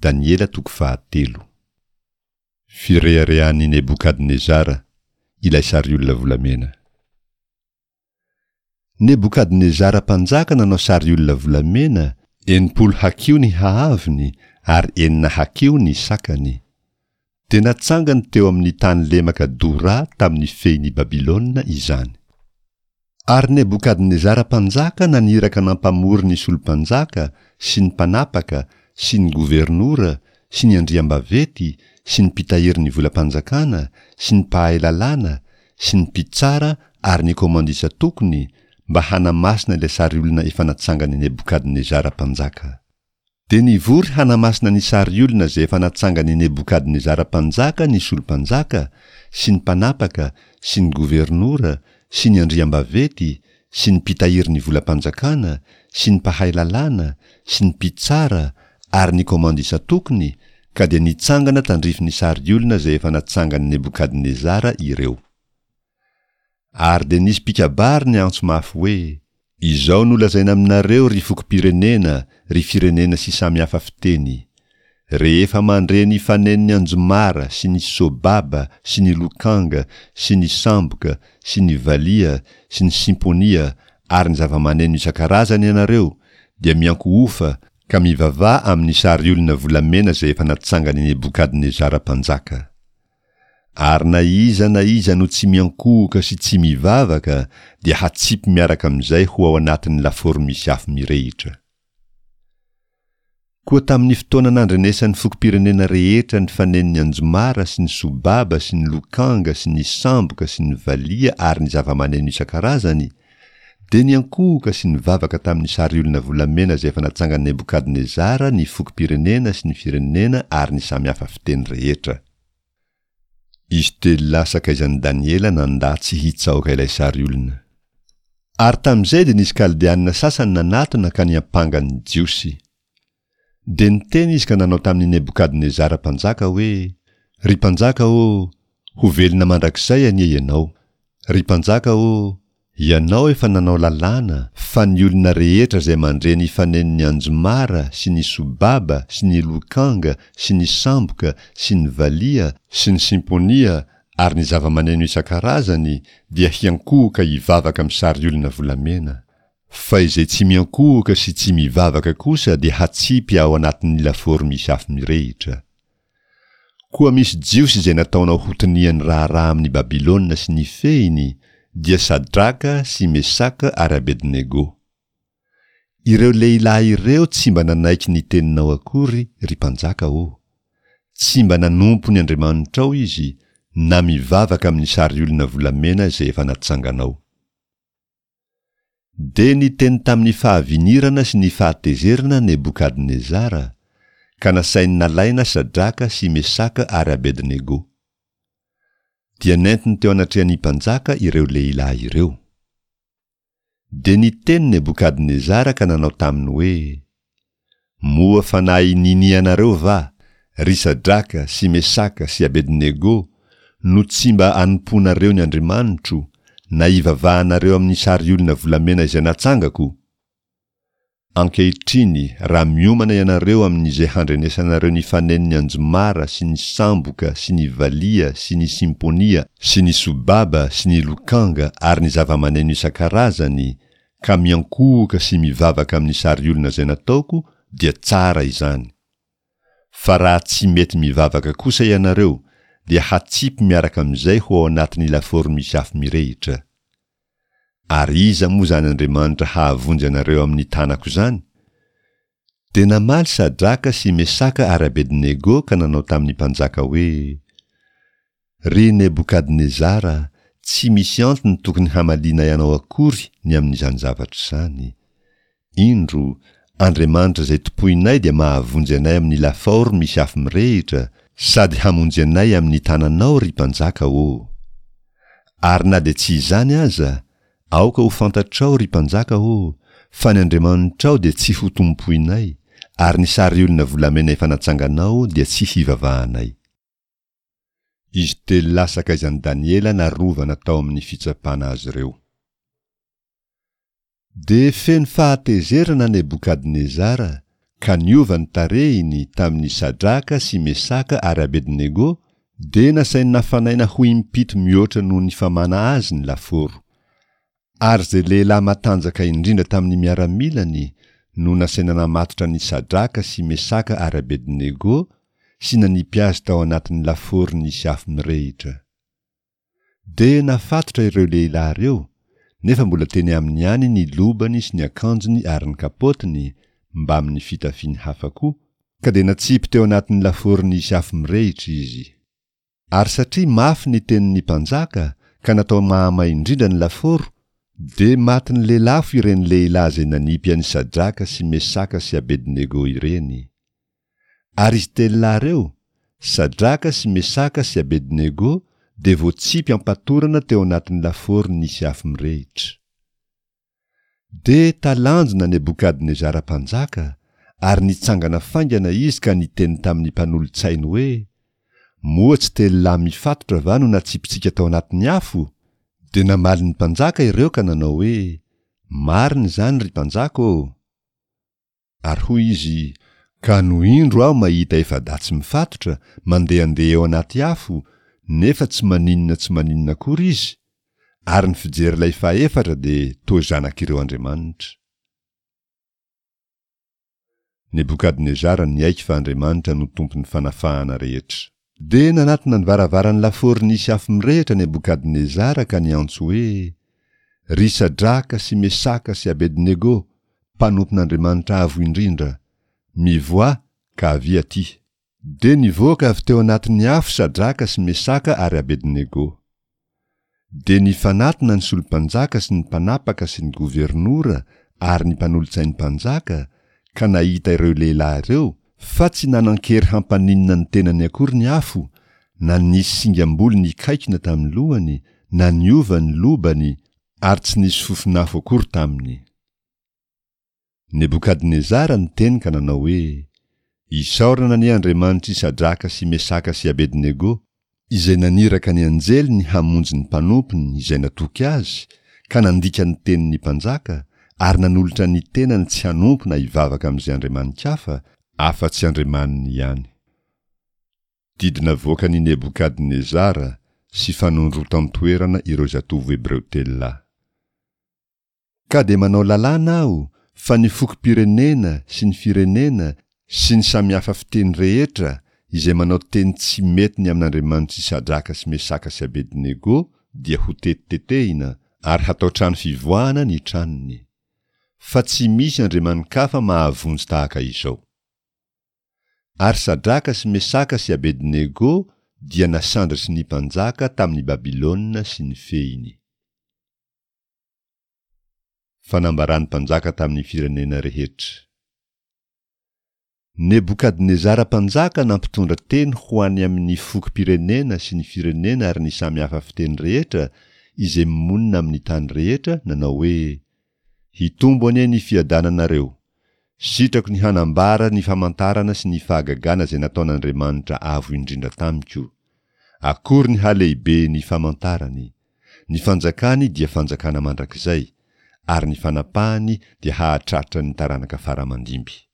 Daniela toko fahatelo. Fireharehan'i Nebokadnezara, ilay sariolona volamena. Nebokadnezara mpanjaka nanao sariolona volamena, 60 hakiho ny haavony ary enina hakiho ny sakany. Dia natsangany teo amin'ny tany lemaka Dora tamin'ny fehin'i Babylona izany. Ary Nebokadnezara mpanjaka naniraka nampamory ny solom-panjaka sy ny mpanapaka sy ny governora sy ny andriambavety sy ny mpitahiry ny volam-panjakana sy ny mpahay lalàna sy ny mpitsara ary ny komandisa tokony mba hanamasina ilay sariolona efa natsangan'i Nebokadnezara mpanjaka. Dia nivory hanamasina ny sariolona izay efa natsangan'i Nebokadnezara mpanjaka ny solom-panjaka, sy ny mpanapaka, sy ny governora, sy ny andriambavety, sy ny mpitahiry ny volam-panjakana, sy ny mpahay lalàna, sy ny mpitsara, ary ny komandy isan-tokony, ka dia nitsangana tandrifin'ny sariolona izay efa natsangan'i Nebokadnezara ireo. Ary dia nisy mpikabary niantso mafy hoe, Izao no lazaina aminareo, ry fokom-pirenena, ry firenena sy samy hafa fiteny, Rehefa mandre ny fanenon'ny anjomara sy ny sobaba sy ny lokanga sy ny samboka sy ny valiha sy ny simponia ary ny zavamaneno isan-karazany ianareo, dia miankohofa ka mivavaha amin'ny sariolona volamena izay efa natsangan'i Nebokadnezara mpanjaka. Ary na iza na iza no tsy miankohoka sy tsy mivavaka dia hatsipy miaraka amin'izay ho ao anatin'ny lafaoro misy afo mirehitra. Koa tamin'ny fotoana nandrenesan'ny fokom-pirenena rehetra ny fanenon'ny anjomara sy ny sobaba sy ny lokanga sy ny samboka sy ny valiha ary ny zavamaneno isan-karazany, dia niankohoka sy nivavaka tamin'ny sariolona volamena izay efa natsangan'i Nebokadnezara ny fokom-pirenena sy ny firenena ary ny samy hafa fiteny rehetra. Izy telolahy sakaizan'i Daniela nandà tsy hitsaoka ilay sariolona. Ary tamin'izay dia nisy Kaldeanina sasany nanatona ka niampanga ny Jiosy. Dia niteny izy ka nanao tamin'i Nebokadnezara mpanjaka hoe, Ry mpanjaka ô, ho velona mandrakizay anie ianao! Ry mpanjaka ô, Ianao efa nanao lalàna fa ny olona rehetra izay mandre ny fanenon'ny anjomara sy ny sobaba sy ny lokanga sy ny samboka sy ny valiha sy ny simponia ary ny zavamaneno isan-karazany dia hiankohoka hivavaka amin'ny sariolona volamena, fa izay tsy miankohoka sy tsy mivavaka kosa dia hatsipy ao anatin'ny lafaoro misy afo mirehitra. Koa misy Jiosy izay nataonao ho tonian'ny raharaha amin'i Babylona sy ny fehiny, dia Sadraka sy Mesaka ary Abednego. Ireo lehilahy ireo tsy mba nanaiky ny teninao akory, ry mpanjaka ô. Tsy mba nanompo ny andriamanitrao izy, na mivavaka amin'ny sariolona volamena izay efa natsanganao. Dia niteny tamin'ny fahavinirana sy ny fahatezerana Nebokadnezara, ka nasainy nalaina Sadraka sy Mesaka ary Abednego. Dia nentiny teo anatrehan'ny mpanjaka ireo lehilahy ireo. Dia niteny Nebokadnezara ka nanao taminy hoe, Moa fanahy ninianareo va, ry Sadraka sy Mesaka sy Abednego, no tsy mba anompoanareo ny Andriamanitro, na ivavahanareo amin'ny sariolona volamena izay natsangako? Ankehitriny raha miomana ianareo amin'izay handrenesanareo ny fanenon'ny anjomara sy ny samboka sy ny valiha sy ny simponia sy ny sobaba sy ny lokanga ary ny zavamaneno isan-karazany, ka miankohoka sy mivavaka amin'ny sariolona izay nataoko dia tsara izany. Fa raha tsy mety mivavaka kosa ianareo dia hatsipy miaraka amin'izay ho ao anatin'ny lafaoro misy afo mirehitra. Ary iza moa izany Andriamanitra hahavonjy anareo amin'ny tanako izany? Dia namaly Sadraka sy Mesaka ary Abednego ka nanao tamin'ny mpanjaka hoe, Ry Nebokadnezara, tsy misy antony tokony hamalianay anao akory ny amin'izany zavatra izany. Indro, Andriamanitra izay tompoinay dia mahavonjy anay amin'ny lafaoro misy afo mirehitra, sady hamonjy anay amin'ny tananao, ry mpanjaka ô! Ary na dia tsy izany aza, aoka ho fantatrao, ry mpanjaka ô, fa ny Andriamanitrao dia tsy hotompoinay, ary ny sariolona volamena efa natsanganao dia tsy hivavahanay. Izy telolahy sakaizan'i Daniela narovana tao amin'ny fitsapana azy ireo. Dia feno fahatezerana Nebokadnezara, Ka niova ny tarehiny tamin'i Sadraka sy Mesaka ary Abednego, dia nasainy nafanaina ho impito mihoatra noho ny famana azy ny lafaoro. Ary izay lehilahy matanjaka indrindra tamin'ny miaramilany no nasaina namatotra an'i Sadraka sy Mesaka ary Abednego sy nanipy azy tao anatin'ny lafaoro nisy afo mirehitra. Dia nafatotra ireo lehilahy ireo, nefa mbola teny aminy ihany ny lobany sy ny akanjony ary ny kapaotiny, mbamin'ny fitafiany hafa koa, ka dia natsipy teo anatin'ny lafaoro nisy afo mirehitra izy. Ary satria mafy ny tenin'ny mpanjaka ka natao mahamay indrindra ny lafaoro, dia matin'ny lelafo ireny lehilahy izay nanipy an'i Sadraka sy Mesaka sy Abednego ireny. Ary izy telolahy ireo, Sadraka sy Mesaka sy Abednego, dia voatsipy am-patorana teo anatin'ny lafaoro nisy afo mirehitra. Dia talanjona Nebokadnezara mpanjaka, ary nitsangana faingana izy ka niteny tamin'ny mpanolo-tsainy hoe, Moa tsy telolahy mifatotra va no natsipitsika tao anatin'ny afo? Dia namaly ny mpanjaka ireo ka nanao hoe, Marina izany, ry mpanjaka ô! Ary hoy izy, Ka no indro aho mahita efa-dahy tsy mifatotra, mandehandeha eo anaty afo, nefa tsy maninona tsy maninona akory izy, ary ny fijery ilay fahefatra dia toa zanak'ireo andriamanitra. Nebokadnezara niaiky fa Andriamanitra no tompon'ny fanafahana rehetra. Dia nanatona ny varavaran'ny lafaoro nisy afo mirehitra Nebokadnezara ka niantso hoe, Ry Sadraka sy Mesaka sy Abednego, mpanompon'Andriamanitra Avo Indrindra, mivoaha ka avia aty! Dia nivoaka avy teo anatin'ny afo Sadraka sy Mesaka ary Abednego. Dia nifanatona ny solom-panjaka sy ny mpanapaka sy ny governora ary ny mpanolotsain'ny mpanjaka, ka nahita ireo lehilahy ireo, fa tsy nanan-kery hampaninona ny tenany akory ny afo, na nisy singam-bolo nikaikona tamin'ny lohany, na niova ny lobany, ary tsy nisy fofon'afo akory taminy. Nebokadnezara niteny ka nanao hoe, Isaorana anie Andriamanitr'i Sadraka sy Mesaka sy Abednego, izay naniraka ny anjeliny hamonjy ny mpanompony izay natoky azy, ka nandika ny tenin'ny mpanjaka, ary nanolotra ny tenany tsy hanompo na hivavaka amin'izay andriamani-kafa, afa-tsy Andriamaniny ihany. Didy navoakan'i Nebokadnezara sy fanondrotan-toerana ireo zatovo hebreo telolahy. Ka dia manao lalàna aho fa ny fokom-pirenena sy ny firenena sy ny samihafa fiteny rehetra izay manao teny tsy mety ny amin'Andriamanitr'i Sadraka sy Mesaka sy Abednego dia hotetitetehina ary hatao trano fivoahana ny tranony. Fa tsy misy andriamani-kafa mahavonjy tahaka izao. Ary Sadraka sy Mesaka sy Abednego dia nasandratry ny mpanjaka tamin'i Babylona sy ny fehiny. Fanambaran'ny mpanjaka tamin'ny firenena rehetra. Nebokadnezara mpanjaka nampitondra teny ho any amin'ny fokom-pirenena sy ny firenena ary ny samy hafa fiteny rehetra izay monina amin'ny tany rehetra, nanao hoe, Hitombo anie ny fiadananareo! Sitrako ny hanambara ny famantarana sy ny fahagagana izay nataon'Andriamanitra Avo Indrindra tamiko. Akory ny halehiben'ny famantarany! Ny fanjakany dia fanjakana mandrakizay, ary ny fanapahany dia hahatratra ny taranaka fara aman-dimby.